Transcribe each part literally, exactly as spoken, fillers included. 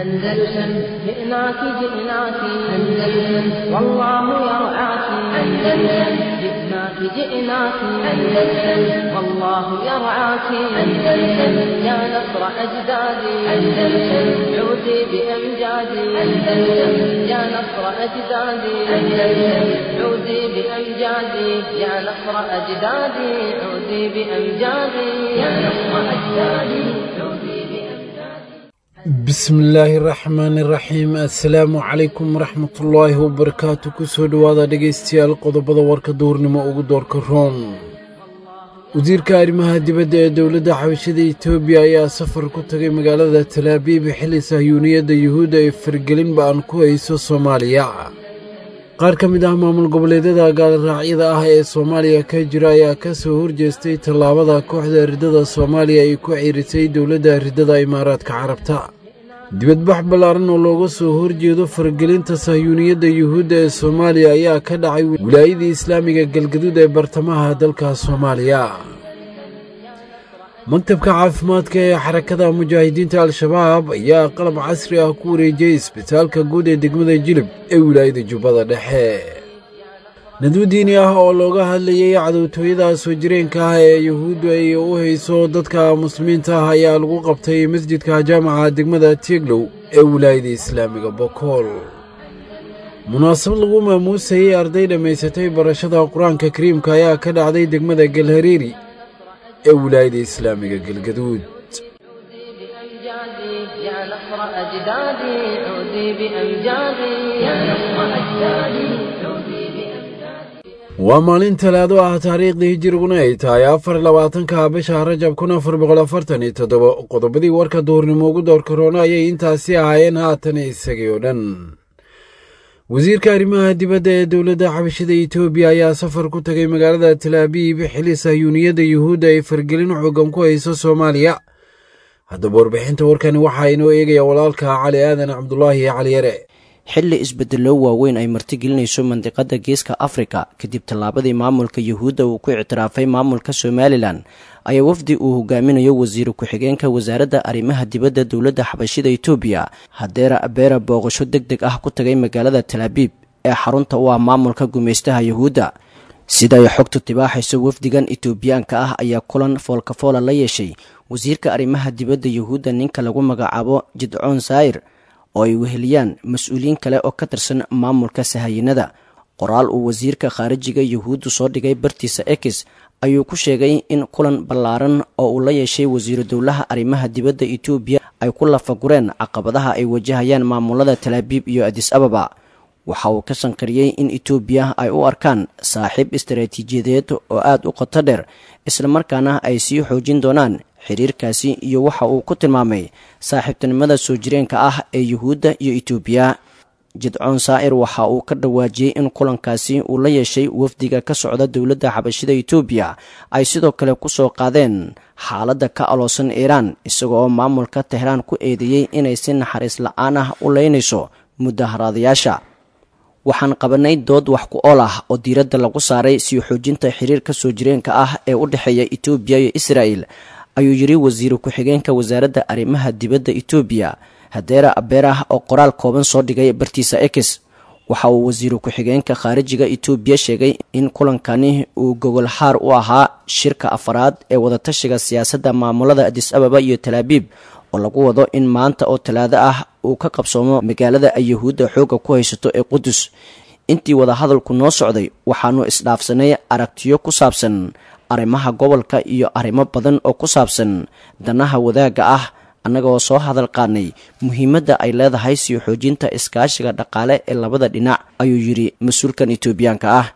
أندلسن جئناك جئناك أندلسن والله يرعاك أندلسن جئناك جئناك أندلسن والله يرعاك أندلسن يا نصر أجدادي أندلسن عودي بأمجادي أندلسن يا نصر أجدادي أندلسن عودي بأمجادي يا نصر أجدادي عودي بأمجادي يا نصر أجدادي عودي. Bismillaahi raxmaani raxiim. Assalaamu calaykum waraxmatullaahi wabarakaatu. Kusoo dhowaada dhegaystayaal qodobada warka duurnimo ugu doorka roon. Wasiirka arrimaha dibadda ee dowladda xabashada Itoobiya ayaa safar ku tagay magaalada Talaabiib xilli sahyuuniyadda yuhuudda ay fargelin ba'an ku hayso Soomaaliya. Qaar ka mid ah maamul goboleedyada gaalraacyada ah ee Soomaaliya ka jira ayaa ka soo horjeestay tallaabada kooxda riddada Soomaaliya ay ku ciirisay dowladda riddada Imaaraadka Carabta. Dibadbax ballaaran oo looga soo horjeedo fargelinta sahyuuniyadda yuhuudda ee Soomaaliya ayaa ka dhacay wilaayadii islaamiga Galgaduud ee bartamaha dalka Soomaaliya. Maktabka caafimaadka ee xarakada mujaahidiinta Al-Shabaab ayaa qalab casri ah ku wareejiyey isbitaalka guud ee degmada Jilib ee wilaayada Jubbada Dhexe. Nadwo diini ah oo looga hadlayay cadowtooyada soo jireenka ah ee yuhuuddu ay u hayso dadka muslimiinta ah ayaa lagu qabtay masjidka jaamaca degmada Tieglow ee wilaayada islaamiga Bokool. Munaasabad lagu maamuusayey arday dhammaysatay barashada Qur-aanka Kariimka ayaa ka dhacday degmada Galhareeri ee wilaayada islaamiga Galgaduud. بأمجادي يا نصر أجدادي عودي بأمجادي يا نصر أجدادي عودي بأمجادي. Waa maalin Talaado ah, taariikhdii hijiriguna ay tahay afar labaatanka bisha Rajab kun afar boqol afartan iyo toddoba. Qodobadii warka duurnimo ugu doorka roona ayay intaasi ahaayeen, haatan isagii oo dhan. Wasiirka arrimaha dibadda ee dowladda xabashada Itoobiya ayaa safar ku tagay magaalada Talaabiib xilli sahyuuniyadda yuhuudda ay fargelin xoogan ku hayso Soomaaliya. Haddaba warbixinta warkani waxaa inoo eegaya walaalka Cali Aadan Cabdulaahi Cali Yare. Xilli isbeddello waaweyn ay martigelinayso mandiqada Geeska Afrika kadib tallaabadii maamulka yuhuudda uu ku ictiraafay maamulka Somalilan, ayaa wafdi uu hogaaminayo wasiir ku-xigeenka wasaaradda arrimaha dibadda dowladda xabashida Itoobiya Hadeera Abeera booqasho deg deg ah ku tagay magaalada Talaabiib ee xarunta u ah maamulka gumaystaha yuhuudda. Sida ay xogtu tibaaxayso, wafdigan itoobiyaanka ah ayaa kulan foolkafoola la yeeshay wasiirka arrimaha dibadda yuhuudda ninka lagu magacaabo Jidcoon Saayir, oo ay weheliyaan mas-uuliyiin kale oo ka tirsan maamulka sahayinada. Qoraal uu wasiirka khaarijiga yuhuuddu soo dhigay bartiisa Ex ayuu ku sheegay in kulan ballaaran oo uu la yeeshay wasiiru dowlaha arrimaha dibadda Itoobiya ay ku lafagureen caqabadaha ay wajahayaan maamulada Talaabiib iyo Adis Ababa. Waxa uu ka sanqariyey in Itoobiya ay u arkaan saaxiib istaraatiijiyadeed oo aada u qoto dheer, islamarkaana ay sii xoojin doonaan xiriirkaasi iyo waxa uu ku tilmaamay saaxiibtinimada soo jireenka ah ee yuhuudda iyo Itoobiya. Jidcoon Saa'ir waxa uu ka dhawaajiyey in kulankaasi uu la yeeshay wafdiga ka socda dowladda xabashida Itoobiya ay sidoo kale ku soo qaadeen xaaladda ka aloosan Iiraan, isaga oo maamulka Tehraan ku eedeeyey inay si naxariis la-aan ah u leynayso mudaharaadayaasha. Waxaan qabanay dood wax ku ool ah oo diiradda lagu saaray sii xoojinta xiriirka soo jireenka ah ee u dhexeeya Itoobiya iyo Israa'el, ayuu yidhi wasiiru ku-xigeenka wasaaradda arrimaha dibadda Itoobiya Hadeera Abeerah oo qoraal kooban soo dhigay bartiisa Ex. Waxa uu wasiiru ku-xigeenka khaarijiga Itoobiya sheegay in kulankani uu gogol xaar u ahaa shirka afaraad ee wadatashiga siyaasadda maamulada Adis Ababa iyo Talaabiib, oo lagu wado in maanta oo Talaado ah uu ka qabsoomo magaalada ay yuhuudda xoogga ku haysato ee Qudus. Intii wadahadalku noo socday waxaanu isdhaafsanay aragtiyo ku saabsan arrimaha gobolka iyo arrimo badan oo ku saabsan danaha wadaagga ah, annagoo soo hadal qaadnay muhiimadda ay leedahay sii xoojinta iskaashiga dhaqaale ee labada dhinac, ayuu yidhi mas-uulkan itoobiyaanka ah.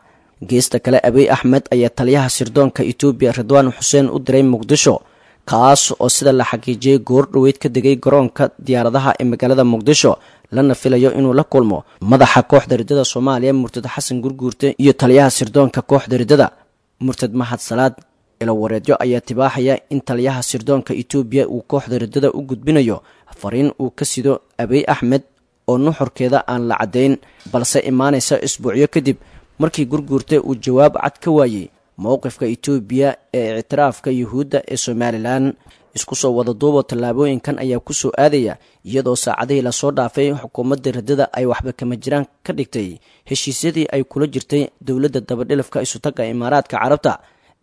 Geesta kale, Abiy Axmed ayaa taliyaha sirdoonka Itoobiya Ridwaan Xuseen u diray Muqdisho, kaas oo sida la xaqiijiyey goor dhoweyd ka degay garoonka diyaaradaha ee magaalada Muqdisho, lana filayo inuu la kulmo madaxa kooxda riddada Soomaaliya murtad Xasan Gurguurte iyo taliyaha sirdoonka kooxda riddada murtad Mahad Salaad. Ilo wareedyo ayaa tibaaxaya in taliyaha sirdoonka Itoobiya uu kooxda riddada u gudbinayo fariin uu ka sido Abiy Axmed oo nuxurkeeda aan la caddayn, balse imaanaysa isbuucyo kadib markii Gurguurte uu jawaab cad ka waayey mowqifka Itoobiya ee ictiraafka yuhuudda ee Somalilan. Isku soo wada duubo tallaabooyinkan ayaa ku soo aadaya iyadoo saacadihii lasoo dhaafay xukuumadda riddada ay waxba kama jiraan ka dhigtay heshiisyadii ay kula jirtay dowladda dabadhilafka isutagga Imaaraadka Carabta,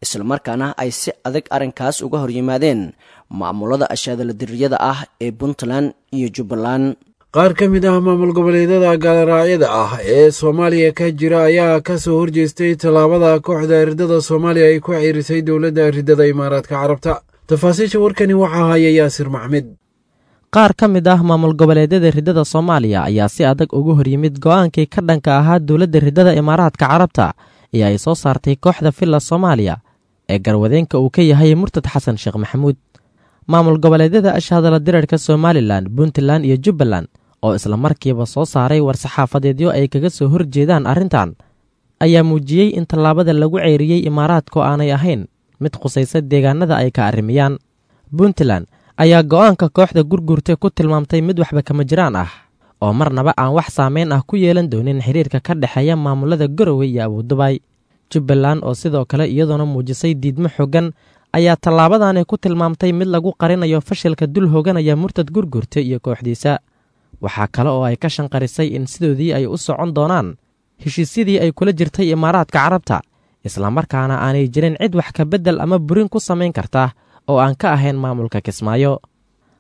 islamarkaana ay si adag arrinkaas uga horyimaadeen maamulada ashaadaladiriyada ah ee Puntland iyo Jubbaland. Qaar ka mid ah maamul goboleedyada gaaloraacyada ah ee Soomaaliya ka jira ayaa ka soo horjeestay tallaabada kooxda riddada Soomaaliya ay ku ciirisay dowladda riddada Imaaraadka Carabta. Tafaasiisha warkani waxaa haya Yaasir Maxmed. Qaar ka mid ah maamul goboleedyada riddada Soomaaliya ayaa si adag uga horyimid go'aankii ka dhanka ahaa dowladda riddada Imaaraadka Carabta ee ay soo saartay kooxda Villa Soomaaliya ee garwadeenka uu ka yahay murtad Xasan Sheekh Maxamuud. Maamul goboleedyada ashahadala dirarka Somalilan, Puntland iyo Jubbaland oo islamarkiiba soo saaray war-saxaafadeedyo ay kaga soo horjeedaan arrintan ayaa muujiyey in tallaabada lagu ceyriyey Imaaraadku aanay ahayn mid khusaysa deegaanada ay ka arrimiyaan. Puntland ayaa go'aanka kooxda gurgurta ku tilmaamtay mid waxba kama jiraan ah oo marnaba aan wax saameyn ah ku yeelan doonin xiriirka ka dhexeeya maamulada Garowe iyo Abuudubay. Jubbaland oo sidoo kale iyadoona muujisay diidmo xoogan ayaa tallaabadani ku tilmaamtay mid lagu qarinayo fashilka dul hooganaya murtad gurgurta iyo kooxdiisa. Waxaa kale oo ay ka shanqarisay in sidoodii ay u socon doonaan heshiisyadii ay kula jirtay Imaaraadka Carabta, islamarkaana aanay jirin cid wax ka beddel ama burin ku samayn karta oo aan ka ahayn maamulka Kismaayo.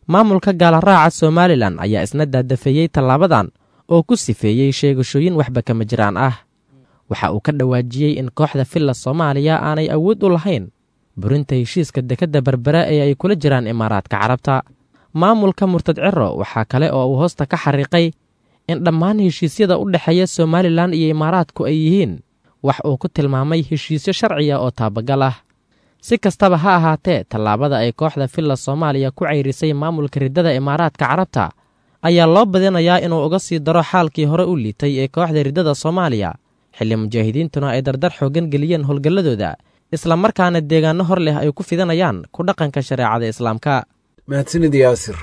Maamulka gaalaraaca Somalilan ayaa isna daadafeeyey tallaabadan oo ku sifeeyey sheegashooyin waxba kama jiraan ah. Waxa uu ka dhawaajiyey in kooxda Villa Soomaaliya aanay awood u lahayn burinta heshiiska dekedda Berbera ee ay kula jiraan Imaaraadka Carabta. Maamulka murtad Ciro waxaa kale oo uu hoosta ka xariiqay in dhammaan heshiisyada u dhexeeya Somalilan iyo Imaaraadku ay yihiin wax uu ku tilmaamay heshiisyo sharciya oo taabagal ah. Si kastaba ha ahaatee, tallaabada ay kooxda Villa Soomaaliya ku ceyrisay maamulka riddada Imaaraadka Carabta ayaa loo badinayaa inuu uga sii daro xaalkii hore u liitay ee kooxda riddada Soomaaliya, xilli mujaahidiintuna ay dardar xooggan geliyeen howlgalladooda, islamarkaana deegaanno hor leh ay ku fidanayaan ku dhaqanka shareecada Islaamka. Mahadsanid Yaasir.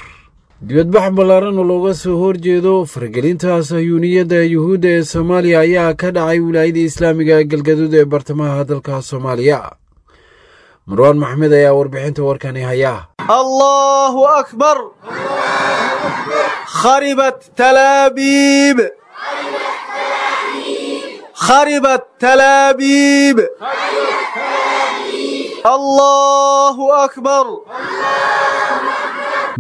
Dibadbax ballaaran oo looga soo horjeedo faragelinta sahyuuniyadda Yuhuudda ee Soomaaliya ayaa ka dhacay wilaayada islaamiga ee Galgaduud ee bartamaha dalka Soomaaliya. Marwaan Maxmed ayaa warbixinta warkani haya. Allahu akbar, kharibat Talaabiib, kharibat Talaabiib, Allahu akbar.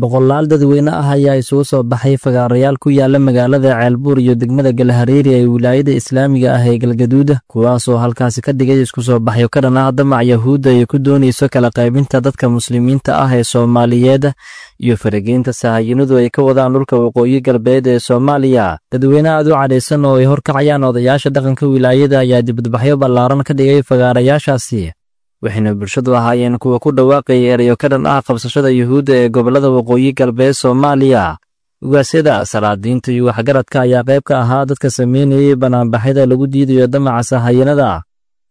Boqolaal dadweyne ah ayaa isugu soo baxay fagaarayaal ku yaala magaalada Ceelbuur iyo degmada Galhareeri ee wilaayada islaamiga ah ee Galgaduud, kuwaasoo halkaasi ka dhigay isku soo baxyo ka dhan ah damac Yahuudda ay ku doonayso kala qaybinta dadka muslimiinta ah ee Soomaaliyeed iyo farageynta sahayinadu ay ka wadaan dhulka waqooyi galbeed ee Soomaaliya. Dadweyne aad u cadhaysan oo ay horkacayaan odayaasha dhaqanka wilaayada ayaa dibadbaxyo ballaaran ka dhigay fagaarayaashaasi, waxayna bulshadu ahaayeen kuwa ku dhawaaqaya erayo ka dhan ah qabsashada Yuhuudda ee gobollada waqooyi galbeed Soomaaliya. Ugaasyada, salaadiinta iyo waxgaradka ayaa qayb ka ahaa dadka sameynayay banaanbaxyada lagu diidayo damaca sahayanada,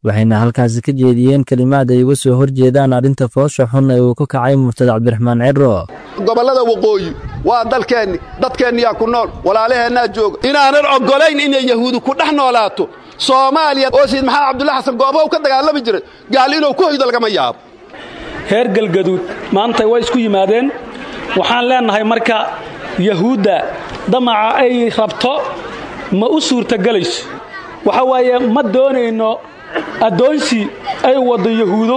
waxayna halkaasi ka jeediyeen kelimaad ay uga soo horjeedaan arrinta foosha xun ee uu ku kacay murtad Cabdiraxmaan Ciro. Gobollada waqooyi waa dalkeenni, dadkeenniyaa ku nool, walaalaheennaa jooga. Inaanan oggolayn inay Yahuudi ku dhex noolaato Soomaaliya oo Sayid Maxamed Cabdulla Xasan goobaha u ka dagaalami jiray, gaal inuu ku hoydo lagama yaabo. Reer Galgaduud maanta way isku yimaadeen. Waxaan leenahay marka Yahuudda damaca ay rabto ma u suurtagelayso. Waxa waaye ma doonayno addoonsi ay waddo Yahuudo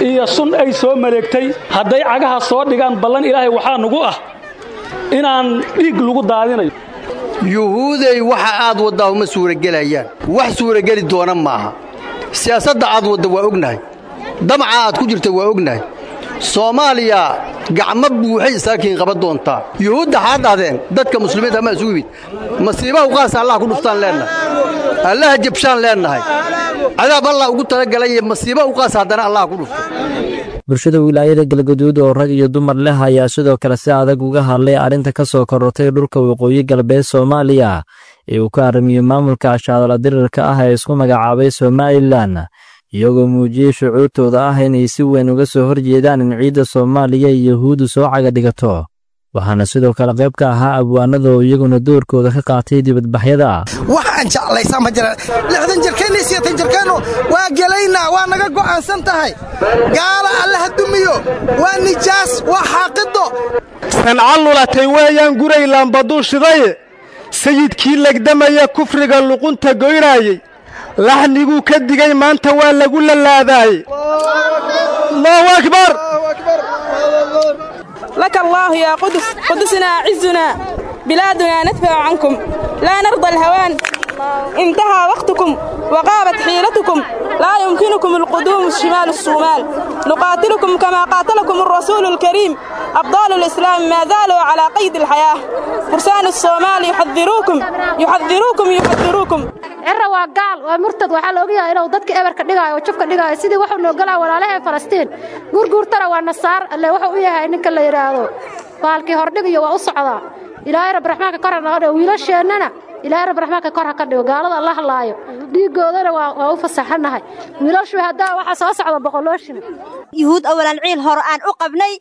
iyo sun ay soo maleegtay. Hadday cagaha soo dhigaan ballan Ilaahay waxaa nugu ah inaan dhiig lagu daadinayo. Yuhuuday waxa aad waddaa uma suuragelayaan, wax suurageli doona maaha. Siyaasadda aad wadda waa ognahay, damaca aad ku jirta waa ognahay. Soomaaliya gacmo buuxay isaakiin qaban doontaa. Yuhuudda xaad dhahdeen dadka muslimiinta ma isugu yimid. Masiibaha uqaasa Allah ku dhuftaan leennahay, Allaha jabshaan leennahay, cadaab Allah ugu talagalay masiiba uqaasa haddana Allah ku dhufto. Bulshada wilaayada Galgaduud oo rag iyo dumar leh ayaa sidoo kale si adag uga hadlay arrinta ka soo korortay dhulka waqooyi galbeed Soomaaliya ee uu ka arrimiyo maamulka ashaadala dirirka ah ee isku magacaabay Somalilan, iyagoo muujiyey shucuurtooda ah inay si weyn uga soo horjeedaan in ciidda Soomaaliya iyo Yahuuddu soo caga dhigato. Waxaana sidoo kale qayb ka ahaa abwaanada oo iyaguna doorkooda ka qaatay dibadbaxyada. Wax aan jeclaysaa ma jiraan. Lixdan jirkeenna iyo sideetan jirkeennu waa gelaynaa, waa naga go'aansan tahay. Gaala Allaha dumiyo, waa nijaas, waa xaaqido. Sanca lulatay weeyaan guray laambaduu shidaye, sayidkii legdamaya kufriga luqunta goynaayey, laxniguu ka digay maanta waa lagu lalaadaaye. Allahu akbar. لك الله يا قدس، قدسنا عزنا، بلادنا ندفع عنكم، لا نرضى الهوان، انتهى وقتكم وغابت حيلتكم، لا يمكنكم القدوم الشمال الصومال، نقاتلكم كما قاتلكم الرسول الكريم، أبطال الإسلام ما زالوا على قيد الحياة، فرسان الصومال يحذروكم يحذروكم يحذروكم. Cirro waa gaal, waa murtad. Waxaa la ogyahay inuu dadka eberka dhigaayo oo jafka dhigaayo sidii wuxuu noo galaa walaalaheen Falastiin. Gurguurtana waa nasaar alle wuxuu u yahay ninka la yidhaahdo baalkii hordhigayo waa u socdaa. Ilaahay rabbi raxmaanka kor ha naga dhigo, wiilasheennana Ilaahay rabbi raxmaanka kor ha ka dhigo. Gaalada Allah laayo, dhiigoodana waa waa u fasaxanahay. Wiilashu haddaa waxaa soo socda boqolooshin. Yuhuud awalan ciil hore aan u qabnay,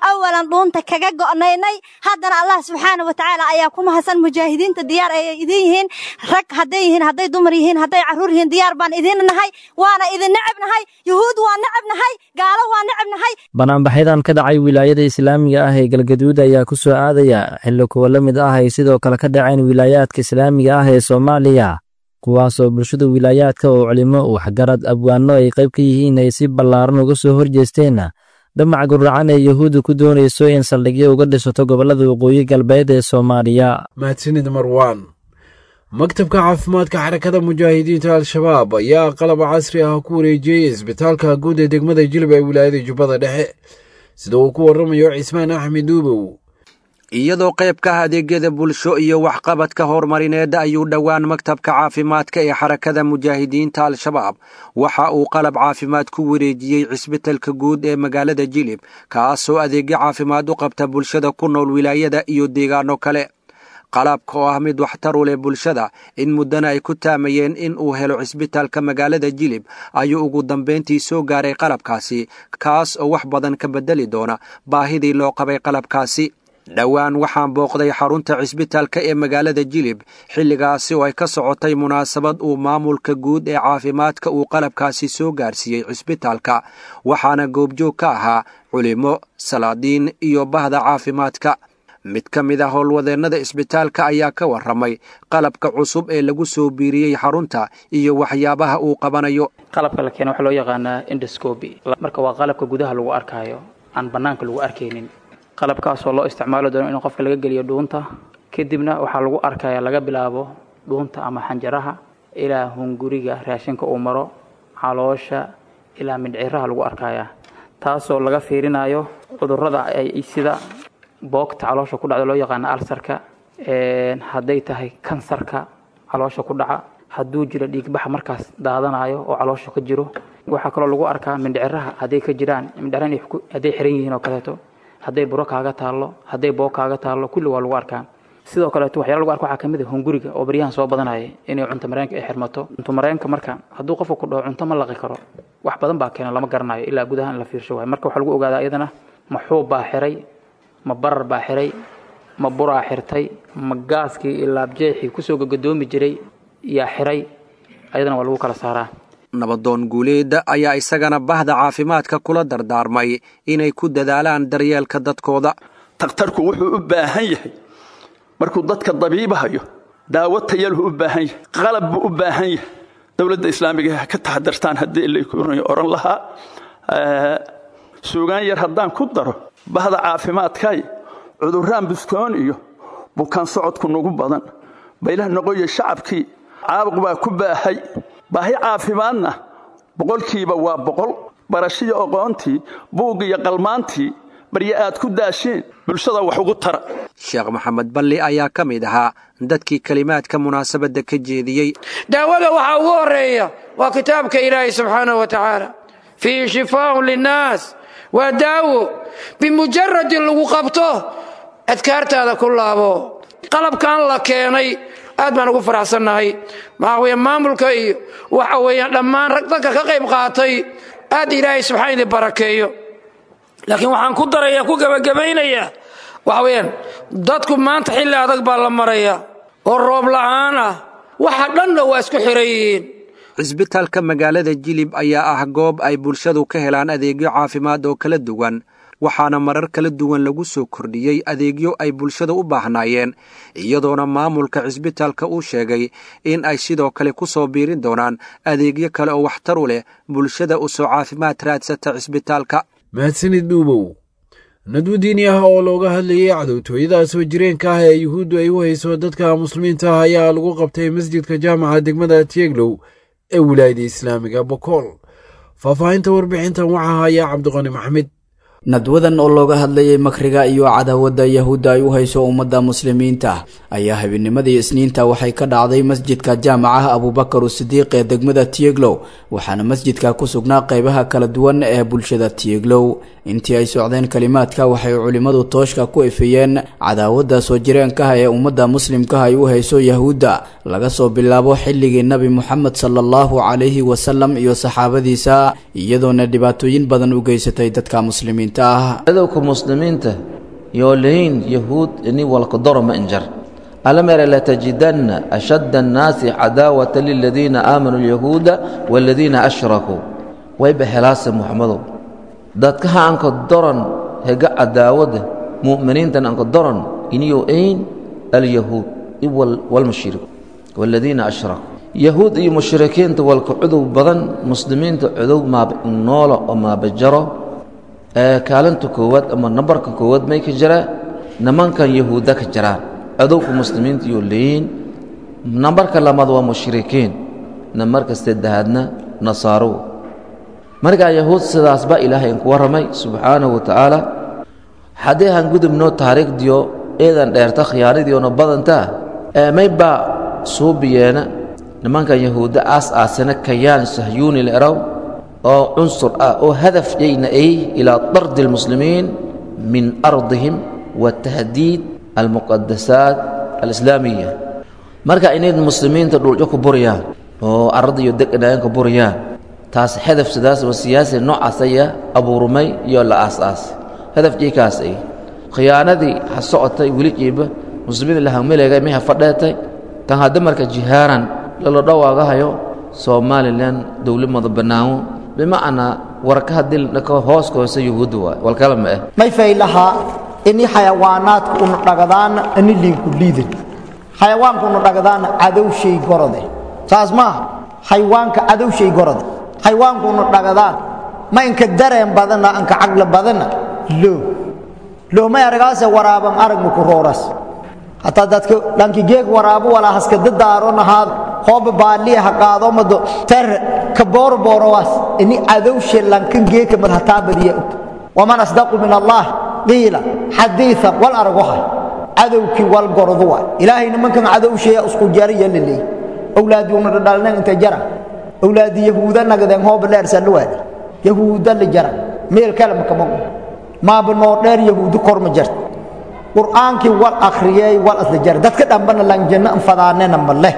awalan dhuunta kaga go'naynay, haddana Allah subxaana wa tacaala ayaa ku mahadsan. Mujaahidiinta diyaar ayay idin yihiin, rag hadday yihiin, hadday dumar yihiin, hadday carruur yihiin, diyaar baan idin nahay, waana idin necab nahay. Yuhuud waa necab nahay, gaalo waa necab nahay. Banaanbaxyadan ka dhacay wilaayada islaamiga ah ee Galgaduud ayaa ku soo aadaya xilli kuwa la mid ah ay sidoo kale ka dhaceen wilaayaadka islaamiga ah ee Soomaaliya, kuwaasoo bulshada wilaayaadka oo culimo, waxgarad, abwaano ay qayb ka yihiin ay si ballaaran uga soo horjeesteen damac guracan ee Yuhuudda ku doonayso in saldhigyo uga dhisato gobollada waqooyi galbeed ee Soomaaliya. Mahadsanid Marwaan. Maktabka caafimaadka Xarakada Mujaahidiinta Al-Shabaab ayaa qalab casri ah ku wareejiyey isbitaalka guud ee degmada Jilib ee wilaayada Jubbada Dhexe, sida uu ku warramayo Cismaan Axmed Duubow. Iyadoo qayb ka ah adeegyada bulsho iyo waxqabadka horumarineed ayuu dhowaan maktabka caafimaadka ee Xarakada Mujaahidiinta Al-Shabaab waxa uu qalab caafimaad ku wareejiyey cisbitalka guud ee magaalada Jilib, kaasoo adeegyo caafimaad u qabta bulshada ku nool wilaayada iyo deegaano kale. Qalabka oo ah mid waxtar u leh bulshada in muddana ay ku taamayeen in uu helo cisbitaalka magaalada Jilib ayuu ugu dambayntii soo gaaray qalabkaasi, kaas oo wax badan ka bedeli doona baahidii loo qabay qalabkaasi. Dhowaan waxaan booqday xarunta cisbitaalka ee magaalada Jilib, xilligaasi oo ay ka socotay munaasabad uu maamulka guud ee caafimaadka uu qalabkaasi soo gaarsiiyey cisbitaalka, waxaana goobjoog ka ahaa culimo, salaadiin iyo bahda caafimaadka. Mid ka mid ah howlwadeennada isbitaalka ayaa ka warramay qalabka cusub ee lagu soo biiriyey xarunta iyo waxyaabaha uu qabanayo. Qalabka la keena waxaa loo yaqaanaa endoscopy. Marka waa qalabka gudaha lagu arkaayo aan bannaanka lagu arkaynin, qalabkaasoo loo isticmaali doono in qofka laga geliyo dhuunta, kadibna waxaa lagu arkaya laga bilaabo dhuunta ama xanjaraha ilaa hunguriga raashinka uu maro, caloosha ilaa mindhiciraha lagu arkaya, taasoo laga fiirinayo cudurrada ay sida boogta caloosha ku dhacda loo yaqaano alsarka, hadday tahay kansarka caloosha ku dhaca, hadduu jiro dhiigbaxa markaas daadanayo oo caloosha ka jiro. Waxaa kaloo lagu arkaa mindhiciraha hadday ka jiraan mindhiciraha hadday xiran yihiin oo kaleeto, hadday buro kaaga taallo, hadday boog kaaga taallo, kulli waa lagu arkaa. Sidoo kaleeto waxyaala lagu arko waxaa kamid ah hunguriga oo baryahan soo badanaya inay cunto mareenka ay xirmato. Cunto mareenka marka hadduu qofka ku dhaho cunto ma laqi karo, wax badan baa keena, lama garanayo ilaa gudaha in la fiirsho waay. Marka waxaa lagu ogaadaa iyadana ma xuub baa xiray, ma barar baa xiray, ma buraa xirtay, ma gaaskii iyo laabjeexii kusoo gagadoomi jiray yaa xiray, ayadana waa lagu kala saaraa. Nabadoon Guuleed ayaa isagana bahda caafimaadka kula dardaarmay inay ku dadaalaan daryeelka dadkooda. Takhtarku wuxuu u baahan yahay markuu dadka dabiibahayo daawo tayalhu u baahan yahay, qalab buu u baahan yahay. Dowladda islaamiga ha ka taxadartaan haddii lakuray oran lahaa. Suugaan yar haddaan ku daro, bahda caafimaadkay cudurraan buskoon iyo bukaan socodku nagu badan, baylah noqoya shacabkii caabuq baa ku baahay, baahi caafimaadna boqolkiiba waa boqol. Barashiyo aqoontii, buug iyo qalmaantii barye aad ku daashiin bulshada wax ugu tara. Sheekh Maxamed Balli ayaa ka mid ahaa dadkii kelimaadka munaasabadda ka jeediyey. Daawada waxaa ugu horeeya waa kitaabka Ilaahay subxaanahu wa tacaala, fiihi shifaaun linnaas, waa daawo. Bimujaradi lagu qabto adkaartaada ku laabo. Qalabkan la keenay aad baan ugu faraxsannahay. Maxaa weeye maamulka iyo waxa weeyaan dhammaan rag dadka ka qayb qaatay, aad Ilaahay subxaan idin barakeeyo. Laakiin waxaan ku daraya ku gebagabaynayaa Waxa weeyaan dadku maanta xilli adag baa la maraya oo roob la'aan ah, waxa dhanna waa isku xiran yihiin. Cisbitaalka magaalada Jilib ayaa ah goob ay bulshadu ka helaan adeegyo caafimaad oo kala duwan, waxaana marar kala duwan lagu soo kordhiyey adeegyo ay bulshada u baahnaayeen, iyadoona maamulka cisbitaalka uu sheegay in ay sidoo kale ku soo biirin doonaan adeegyo kale oo waxtar u leh bulshada u soo caafimaad raadsata cisbitaalka. Mahadsanid Dhuubow. Nadwo diini ah oo looga hadlayay cadowtooyada soo jireenka ah ee Yuhuuddu ay u hayso dadka muslimiinta ah ayaa lagu qabtay masjidka jaamaca degmada Tieglow ee wilaayada islaamiga Bokool. Faahfaahinta warbixintan waxaa haya Cabdiqani Maxamed. Nadwadan oo looga hadlayay makriga iyo cadaawadda Yahuudda ay u hayso ummadda muslimiinta ayaa habeennimadii Isniinta waxay ka dhacday masjidka jaamacaha Abuubakar Sidiiq ee degmada Tieglow, waxaana masjidka ku sugnaa qeybaha kala duwan ee bulshada Tieglow. Intii ay socdeen kalimaadka, waxay culimmadu tooshka ku ifiyeen cadaawadda soo jireenkaha ee ummadda muslimkaha ay u hayso Yahuudda laga soo bilaabo xilligii Nabi Muxamed sala allahu calayhi wasalam iyo saxaabadiisa, iyadoona dhibaatooyin badan u geysatay dadka muslimiinta. Cadowka muslimiinta yoolayn yahuud ini walkadoro ma injar alamere latajidanna ashadda annaasi cadaawata liladiina aamanuu alyahuuda waaladiina ashrakuu. Wayba helaase Muxamadow dadkaha anka doran hega cadaawada mu'miniintan anka doran iniyo ayn alyahuud walmushrik waaladiina ashrakuu. Yahuud iyo mushrikiinta walka cudow badan muslimiinta cudow maaba noola oo maabajaro. Kaalinta koowaad ama nambarka koowaad may ka jiraa nimankan yahuudda ka jiraan cadowka muslimiinta iyo leeyiin. Nambarka labaad waa mushrikiin, nambarka saddexaadna nasaarow. Markaa yahuud sidaas baa Ilaahay inku warramay subxaanahu wa tacaala. Haddii han gudubno taariikhdiyo eedan dheerta khiyaanadiiona badantaa may baa suubiyeena nimankan yahuudda aas aasana kayaan sahyuuni la erow oo cunsur ah oo hadaf yayna ay ilaa dardi almuslimiin min ardihim wa tahdiid almuqadasaat alislaamiya. Marka inay muslimiinta dhuljo ku buriyaan oo arada iyo deganaayan ku buriyaan, taas hadaf sidaas oo siyaasi noocaas ayaa abuurmay iyo la aas-aasay hadaf jaykaas ay khiyaanadii ha socotay weli jiiba muslimiinta la hangmeleegay may ha fadheetay tan hadda marka jihaaran lala dhawaagahayo Somalilan dowlad mada bannaano bimacnaa warka haddii la hooska hoose yuhuudda waay walkala ma ah. May faylahaa ini xayawaanaadku unu dhagadaana ini liinku liidan xayawaanku unu dhagadaana cadowshay gorode, saas maaha? Xayawaanka cadowshay gorode, xayawaanku unu dhagadaan ma inka dareen badana anka caqli badana loo loomay aragaase waraaban aragma ku rooras hataa dadka dhanki geeg waraabo walaa haska dadaaro nahaad hooba baaliya ha qaado mado ter ka boorboorowaas ini cadowshe lankan geeka mad hataa badiya og. Waman asdaqu min Allah qiila xadiia wal aragoha cadowkii wal gordu waay. Ilaahay nimankan cadowsheeya isku jariya laleey awlaadii una dhadhalnan inta jara awlaadii yahuuda nagadeen hooba dheersa la waadi yahuuda la jara meel kale makama maaba noo dheer yahuudu kor ma jarta. Qur'aankii wal akhriyey wal asla jara dadka dhambana lan janno anfadaanena ma leh.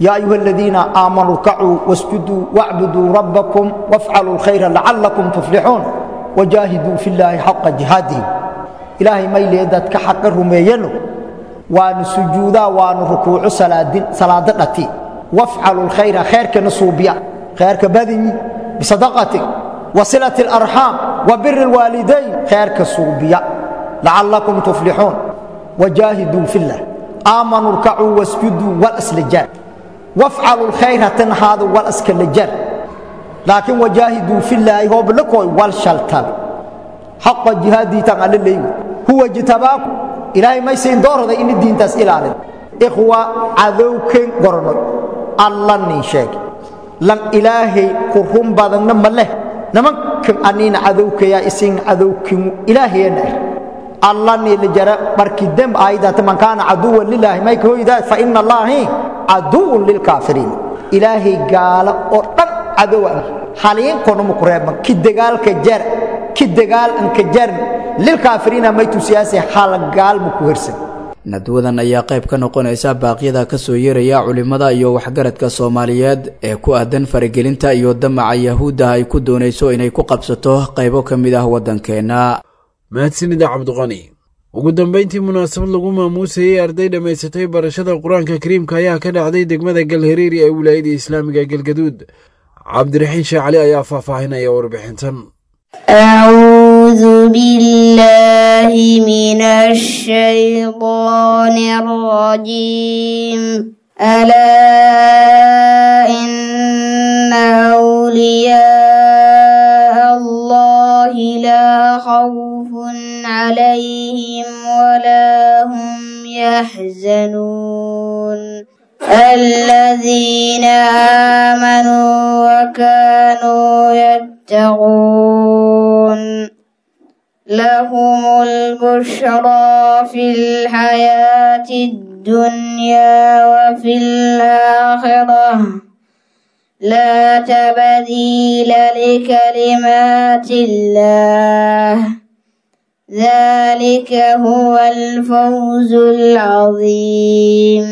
Yaa ayuha aladiina aamanuu rkacuu wasjuduu wacbuduu rabbakum wafcaluu lkhayra lacallakum tuflixuun wajaahiduu fi llaahi xaqa jihaadihi. Ilaahay mayle dadka xaqa rumeeyano waanu sujuudaa waanu rukuuco salaadin salaado dhati wafcalu lkhayra khayrkana suubiya khayrka badinyi bisadaqati wasilati alarxaam wa biri alwaalidayn khayrka suubiya lacallakum tuflixuun wajaahiduu fi llah aamanuu rkacuu wasjuduu wal aslajaar wafcalu lkhayra tanhaadu wal askalajaar laakiin wajaahiduu fi llaahi hooblakooy wal shaltabe xaqa jihaadiitan alla leeyi huwa jitabaaku ilaahay maysayn doorada ini diintaas ilaalin. Ikhwa, cadowken goronoy alla nin sheeg lan ilaahay ku run badanna ma leh nimankan aniina cadowkayaa isin cadowkimu ilaahayana ah alla ni la jara markii demb aayadaata man kaana caduwan lilaahi may kahoydaa fa ina allaahi caduwun lilkaafiriin. Ilaahay gaalo oo dhan cadowa haliinkoonuma ku reebman ki dagaalka jar ki dagaal anka jarn lilkaafiriina may tusiyaase hal gaalma ku hersan. Nadwadan ayaa qayb ka noqonaysa baaqyada kasoo yeeraya culimada iyo waxgaradka Soomaaliyeed ee ku aadan faragelinta iyo damaca Yahuudda ay ku doonayso inay ku qabsato qaybo ka mid ah waddankeena. Mahadsanida Cabdiqani. Ugu dambayntii, munaasabad lagu maamuusayey arday dhammaysatay barashada Qur-aanka Kariimka ayaa ka dhacday degmada Galhareeri ee wilaayada islaamiga Galgaduud. Cabdiraxiin Sheekh Cali ayaa faahfaahinaya warbixintan. أعوذ بالله من الشيطان الرجيم. ألا إن أولياء الله لا خوف عليهم ولا هم يحزنون الذين آمنوا وكانوا يتقون لهم البشرى في الحياة الدنيا وفي الآخرة لا تبديل لكلمات الله ذلك هو الفوز العظيم.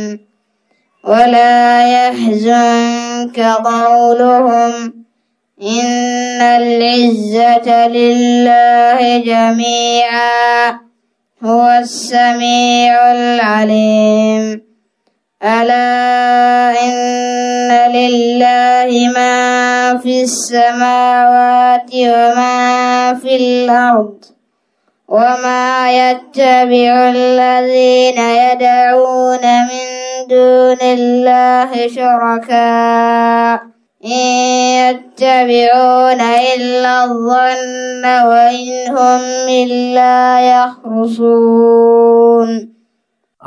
ولا يحزنك قولهم إن العزة لله جميعا هو السميع العليم. ألا إن لله ما في السماوات وما في الأرض وما يتبع الذين يدعون من دون الله شركاء إن يتبعون إلا الظن وإن هم إلا يخرصون.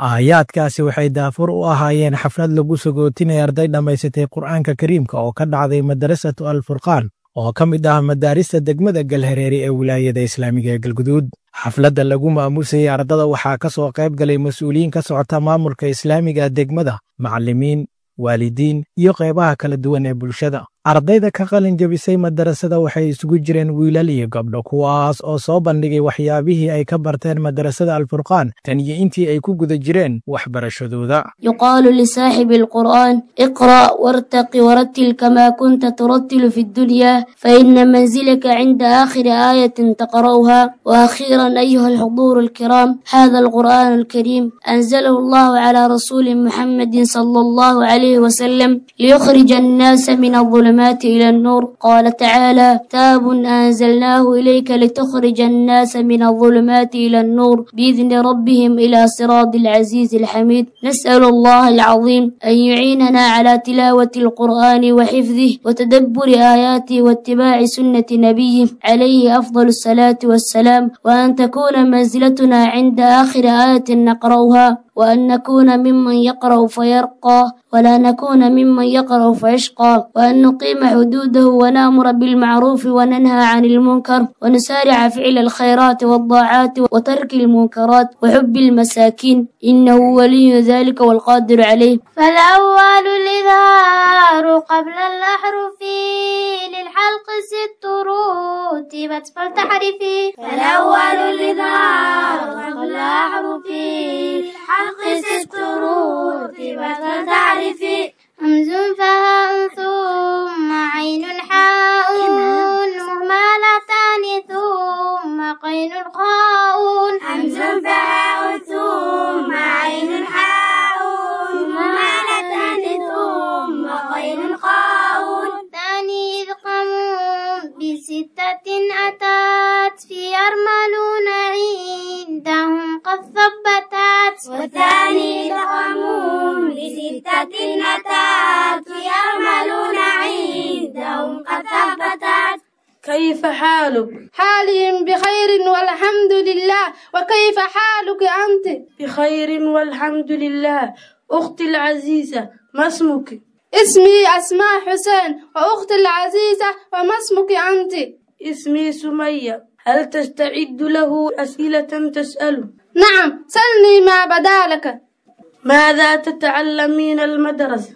Aayaadkaasi waxay daafur u ahaayeen xaflad lagu sagootinaya arday dhammaysatay Qur'aanka Kariimka oo ka dhacday Madarasatu Alfurqaan oo ka mid ah madaarista degmada Galhareeri ee wilaayada islaamiga ee Galguduud. Xafladda lagu maamuusayey ardada waxaa ka soo qayb galay mas-uuliyiin ka socota maamulka islaamiga degmada, macallimiin, waalidiin iyo qaybaha kala duwan ee bulshada. Ardayda ka qalin jebisay madarasada waxay isugu jireen wiilal iyo gabdho, kuwaas oo soo bandhigay waxyaabihii ay ka barteen madarasada Alfurqaan tan iyo intii ay ku guda jireen waxbarashadooda. يقال لصاحب القرآن: اقرأ وارتق ورتل كما كنت ترتل في الدنيا، فإن منزلك عند آخر آية تقرأها. وأخيرا أيها الحضور الكرام، هذا القرآن الكريم أنزله الله على رسول محمد صلى الله عليه وسلم ليخرج الناس من الظلمات إلى النور. قال تعالى: كتاب أنزلناه إليك لتخرج الناس من الظلمات إلى النور بإذن ربهم إلى صراط العزيز الحميد. نسأل الله العظيم أن يعيننا على تلاوة القرآن وحفظه وتدبر آياته واتباع سنة نبيه عليه أفضل الصلاة والسلام، وأن تكون منزلتنا عند آخر آية نقرأها، وأن نكون ممن يقرأ فيرقى ولا نكون ممن يقرأ فيشقى، وأن نقيم حدوده ونأمر بالمعروف وننهى عن المنكر، ونسارع فعل الخيرات والطاعات وترك المنكرات وحب المساكين، إنه ولي ذلك والقادر عليه. فالأول الإظهار قبل الأحرف للحلق ست رتبت فلتحرفي. فالأول الإظهار قبل الأحرف للحلق ست رتبت فلتعرفي. همز فهاء ثم عين حاء مهملتان ثم قين خاء. همز فهاء ثم عين حاء مهملتان ثم قين خاء. ثاني إذ قاموا بستة أتت في يرملون عندهم قد ثبتت. والثاني إذ قاموا بستة أتت يرملون عندهم قد ثبتت. كيف حالك؟ حالي بخير والحمد لله، وكيف حالك أنت؟ بخير والحمد لله. أختي العزيزة، ما اسمك؟ اسمي أسماء حسين. وأختي العزيزة، وما اسمك أنت؟ اسمي سمية. هل تستعد له أسئلة تسأله؟ نعم، سلني ما بدالك. ماذا تتعلمين المدرسة؟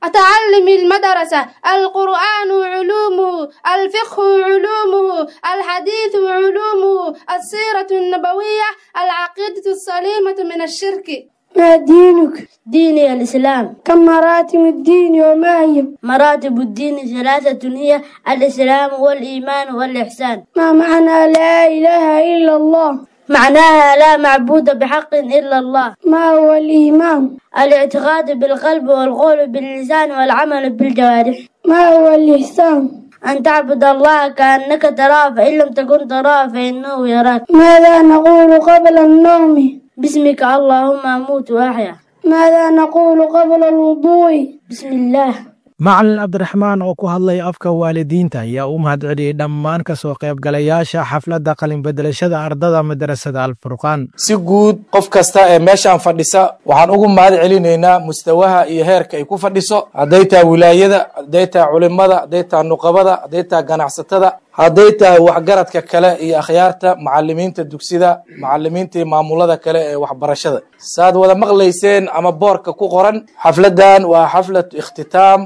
أتعلم المدرسة القرآن علومه، الفقه علومه، الحديث علومه، السيرة النبوية، العقيدة السليمة من الشرك. ما دينك؟ ديني الإسلام. كم مراتب الدين وما هي؟ مراتب الدين ثلاثة، هي الإسلام والإيمان والإحسان. ما معنى لا إله إلا الله؟ معناها لا معبود بحق إلا الله. ما هو الإيمان؟ الاعتقاد بالقلب والقول باللسان والعمل بالجوارح. ما هو الإحسان؟ أن تعبد الله كأنك تراه، فإن لم تكن تراه فإنه يراك. ماذا نقول قبل النوم؟ باسمك اللهم أموت وأحيا. ماذا نقول قبل الوضوء؟ بسم الله. Macalin Cabdiraxmaan oo ku hadlaya afka waalidiinta ayaa u mahadceliyey dhammaan ka soo qaybgalayaasha xafladda qalinbedelashada ardada madarasada Alfurqaan. Si guud, qof kasta ee meeshaan fadhisa waxaan ugu mahad celinaynaa mustawaha iyo heerka ay ku fadhiso, hadday tahay wilaayada, hadday tahay culimada, hadday tahay nuqabada, hadday tahay ganacsatada, hadday tahay waxgaradka kale iyo akhyaarta macalimiinta dugsida, macalimiinta iyo maamulada kale ee waxbarashada. Saad wada maqlayseen ama boorka ku qoran, xafladan waa xaflatu ikhtitaam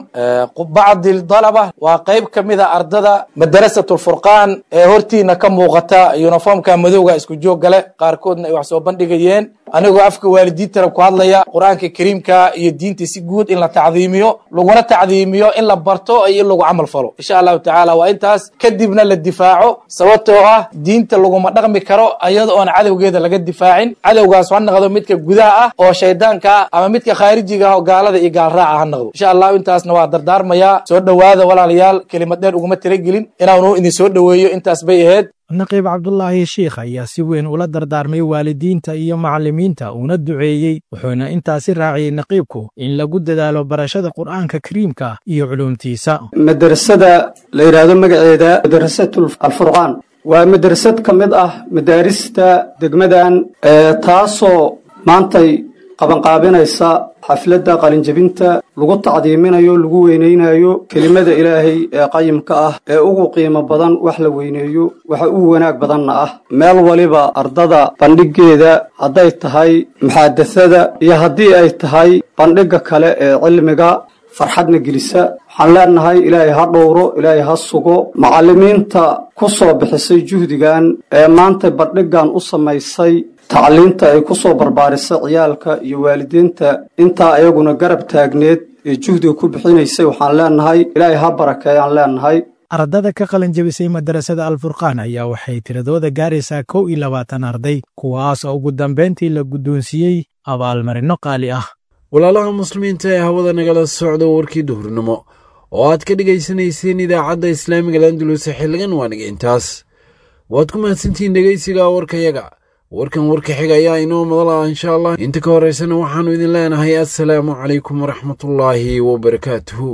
bacdi dalaba, waa qayb ka mid a ardada madarasatu Furqaan ee hortiina ka muuqata, uniformka madowga isku joog gale, qaarkoodna ay wax soo bandhigayeen. Anigoo afka waalidiintana ku hadlaya, Qur-aanka Kariimka iyo diinta si guud in la tacdiimiyo, laguna tacdiimiyo in la barto iyo in lagu camal falo, insha Allahu tacaala. Waa intaas kadibna la difaaco, sababtoo ah diinta laguma dhaqmi karo iyada oon cadowgeeda laga difaacin. Cadowgaas ha noqdo midka gudaha ah oo shaydaanka ah ama midka khaarijiga ah oo gaalada iyo gaalraaca ha noqdo, insha Allahu. Intaasna waa dardaarmayaa. Soo dhowaada walaalayaal, kelimad dheer uguma talagelin inaanu idin soo dhoweeyo, intaas bay ahayd. Naqiib Cabdulaahi Shiikh ayaa si weyn ula dardaarmay waalidiinta iyo macallimiinta, uuna duceeyey, wuxuuna intaasi raaciyey naqiibku in lagu dadaalo barashada Qur'aanka Kariimka iyo culuumtiisa. Madrasada la yidhaahdo magaceeda Madrasatu Alfurqaan waa madrasad ka mid ah madaarista degmadan, taasoo maantay qabanqaabinaysa xafladda qalinjebinta lagu tacdiiminayo, lagu weynaynayo kelimada Ilaahay ee qayimka ah ee ugu qiimo badan wax la weyneeyo, waxa ugu wanaag badanna ah. Meel waliba ardada bandhiggeeda, hadday tahay muxaadasada iyo haddii ay tahay bandhigga kale ee cilmiga, farxadna gelisa. Waxaan leenahay Ilaahay ha dhowro, Ilaahay ha sugo macallimiinta ku soo bixisay juhdigan ee maanta bandhiggan u samaysay, tacliinta ay ku soo barbaarisay ciyaalka, iyo waalidiinta intaa ayaguna garab taagneed ee juhdiga ku bixinaysay. Waxaan leenahay Ilaahay ha barakeeyaan leenahay. Ardada ka qalinjebisay madarasada Alfurqaan ayaa waxay tiradooda gaaraysaa kow iyo labaatan arday, kuwaas oo ugu dambayntii la guddoonsiiyey abaalmarino qaali ah. Walaalaha muslimiinta ee hawada nagala socda, warkii duhurnimo oo aad ka dhegaysanayseen idaacadda Islaamiga Landulus xilligan waaniga intaas. Waad ku mahadsantihiin dhegaysiga warkayaga. Warkan warka xiga ayaa inoo madal ah, insha Allah. Inta ka horeysana waxaannu idin leenahay assalaamu calaykum waraxmatullaahi wabarakaatuhu.